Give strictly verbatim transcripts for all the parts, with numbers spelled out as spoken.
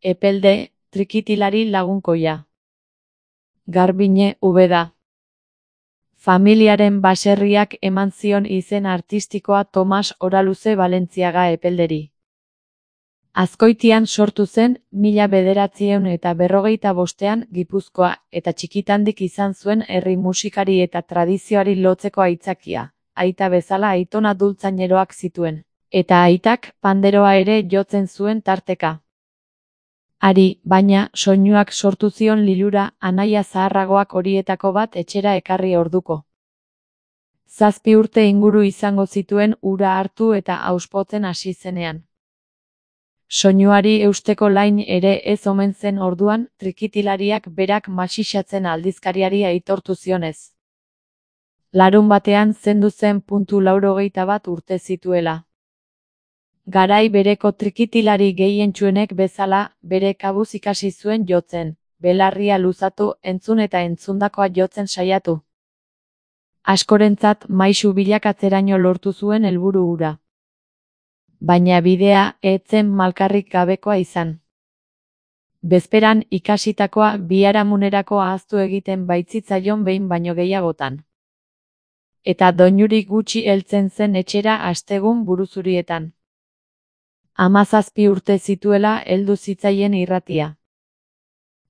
Epelde, trikitilari lagunkoia. Garbiñe Ubeda. Familiaren baserriak eman zion izen artistikoa Tomas Oraluze Valentziaga Epelderi. Azkoitian sortu zen mila bederatziehun eta berrogeita bostean Gipuzkoa eta txikitandik izan zuen herri musikari eta tradizioari lotzeko aitzakia, aita bezala aitona dultzaineroak zituen, eta aitak panderoa ere jotzen zuen tarteka. Ari, baina, soinuak sortu zion lilura anaia zaharragoak horietako bat etxera ekarri orduko. Zazpi urte inguru izango zituen ura hartu eta auspotzen hasi zenean. Soinuari eusteko lain ere ez omen zen orduan, trikitilariak berak masixatzen aldizkariari aitortu zionez. Larun batean zendu zen puntu laurogeita bat urte zituela. Garai bereko trikitilari gehientsuenek bezala, bere kabuz ikasi zuen jotzen, belarria luzatu, entzun eta entzundakoa jotzen saiatu. Askorentzat maisu bilakatzeraino lortu zuen helburu hura. Baina bidea ez zen malkarrik gabekoa izan. Bezperan ikasitakoa biharamunerako ahaztu egiten baitzitzaion behin baino gehiagotan. Eta doinurik gutxi heltzen zen etxera astegun buruzurietan. Hamazazpi urte zituela heldu zitzaien irratia.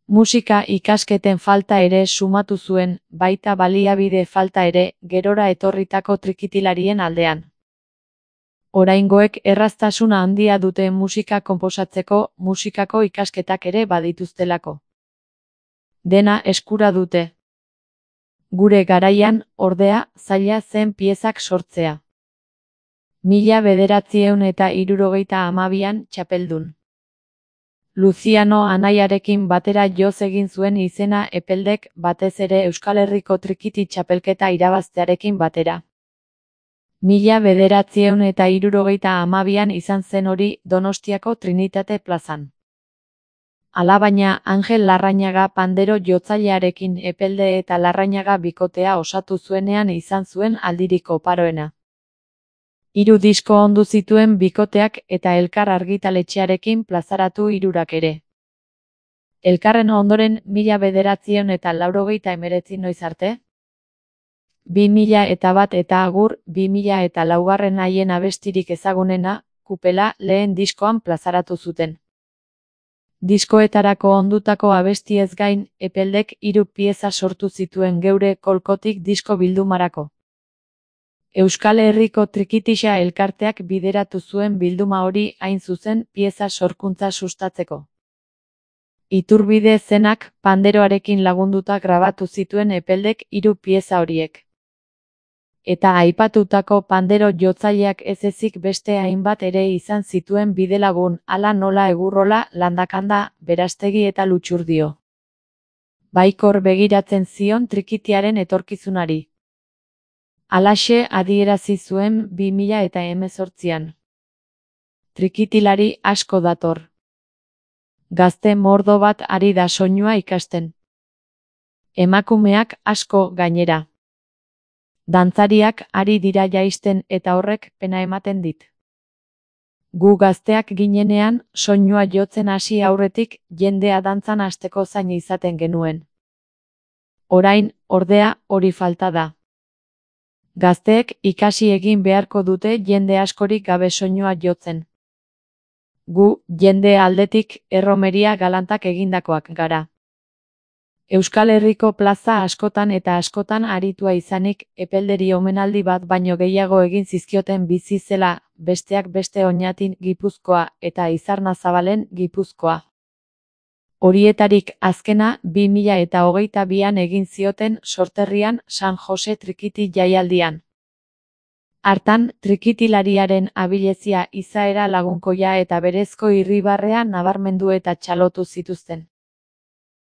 Musika ikasketen falta ere sumatu zuen, baita baliabide falta ere, gerora etorritako trikitilarien aldean. Oraingoek erraztasuna handia dute musika konposatzeko, musikako ikasketak ere badituztelako. Dena eskura dute. Gure garaian, ordea, zaila zen piezak sortzea. Mila bederatziehun eta hirurogeita hamabian txapeldun. Luciano anaiarekin batera joz egin zuen izena Epeldek batez ere Euskal Herriko trikiti txapelketa irabaztearekin batera. Mila bederatziehun eta hirurogeita hamabian izan zen hori Donostiako Trinitate plazan. Alabaina Angel Larrañaga pandero jotzailearekin Epelde eta Larrañaga bikotea osatu zuenean izan zuen aldirik oparoena. Hiru disko ondu zituen bikoteak eta Elkar argitaletxearekin plazaratu hirurak ere. Elkarren ondoren mila bederatziehun eta laurogeita hemeretzi noiz arte? Bi mila eta bat eta agur, bi mila eta laugarren haien abestirik ezagunena, Kupela, lehen diskoan plazaratu zuten. Diskoetarako ondutako abestiez gain, Epeldek hiru pieza sortu zituen geure kolkotik disko bildumarako. Euskal Herriko Trikitixa elkarteak bideratu zuen bilduma hori hain zuzen pieza sorkuntza sustatzeko. Iturbide zenak panderoarekin lagunduta grabatu zituen Epeldek hiru pieza horiek. Eta aipatutako pandero jotzaileak ez ezik beste hainbat ere izan zituen bidelagun, hala nola Egurrola, Landakanda, Berastegi eta Lutxurdio. Baikor begiratzen zion trikitiaren etorkizunari. Halaxe adierazi zuen bi mila eta hemezortzian. Trikitilari asko dator. Gazte mordo bat ari da soinua ikasten. Emakumeak asko gainera. Dantzariak ari dira jaisten eta horrek pena ematen dit. Gu gazteak ginenean, soinua jotzen hasi aurretik, jendea dantzan hasteko zain izaten genuen. Orain, ordea, hori falta da. Gazteek ikasi egin beharko dute jende askorik gabe soinua jotzen. Gu, jende aldetik, erromeria galantak egindakoak gara. Euskal Herriko plaza askotan eta askotan aritua izanik, Epelderi omenaldi bat baino gehiago egin zizkioten bizi zela, besteak beste Oñatin Gipuzkoa eta Izarnazabalen Gipuzkoa. Horietarik azkena bi mila eta hogeita bian egin zioten Sorterrian San Jose Trikiti jaialdian. Hartan, trikitilariaren abilezia izaera lagunkoia eta berezko irribarrea nabarmendu eta txalotu zituzten.